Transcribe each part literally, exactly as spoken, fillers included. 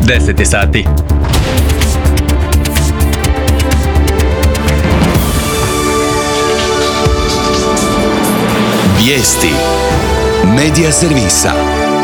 deset je sati. Vijesti Medija servisa.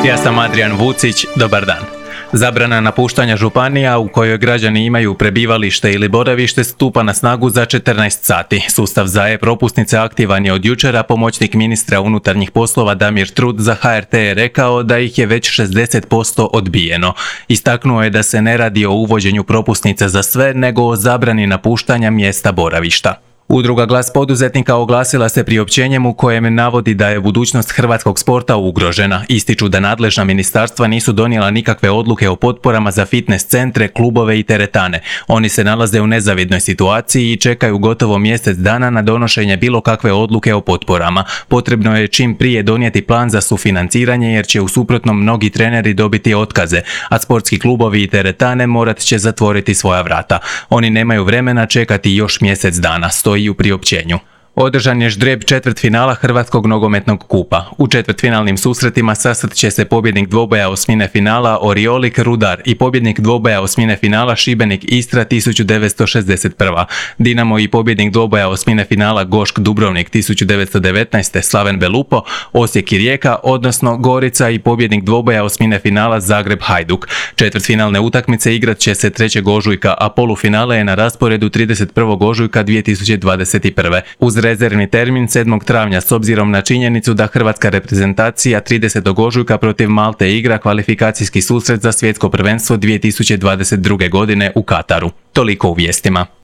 Ja sam Adrian Vucić, dobar dan. Zabrana napuštanja županija u kojoj građani imaju prebivalište ili boravište stupa na snagu za četrnaest sati. Sustav za e-propusnice aktivan je od jučera. Pomoćnik ministra unutarnjih poslova Damir Trut za H R T je rekao da ih je već šezdeset posto odbijeno. Istaknuo je da se ne radi o uvođenju propusnice za sve, nego o zabrani napuštanja mjesta boravišta. Udruga Glas poduzetnika oglasila se priopćenjem u kojem navodi da je budućnost hrvatskog sporta ugrožena. Ističu da nadležna ministarstva nisu donijela nikakve odluke o potporama za fitness centre, klubove i teretane. Oni se nalaze u nezavidnoj situaciji i čekaju gotovo mjesec dana na donošenje bilo kakve odluke o potporama. Potrebno je čim prije donijeti plan za sufinanciranje jer će u suprotnom mnogi treneri dobiti otkaze, a sportski klubovi i teretane morat će zatvoriti svoja vrata. Oni nemaju vremena čekati još mjesec dana, stoji i u priopćenju. Održan je ždrijeb četvrtfinala Hrvatskog nogometnog kupa. U četvrtfinalnim susretima sastat će se pobjednik dvoboja osmine finala Oriolik Rudar i pobjednik dvoboja osmine finala Šibenik Istra tisuću devetsto šezdeset prva. Dinamo i pobjednik dvoboja osmine finala Gošk Dubrovnik tisuću devetsto devetnaeste Slaven Belupo, Osijek i Rijeka, odnosno Gorica i pobjednik dvoboja osmine finala Zagreb Hajduk. Četvrtfinalne utakmice igrat će se trećeg ožujka, a polufinale je na rasporedu trideset prvog ožujka dvije tisuće dvadeset prve. Uz rezervni termin sedmog travnja s obzirom na činjenicu da hrvatska reprezentacija tridesetog ožujka protiv Malte igra kvalifikacijski susret za svjetsko prvenstvo dvije tisuće dvadeset druge godine u Kataru. Toliko u vijestima.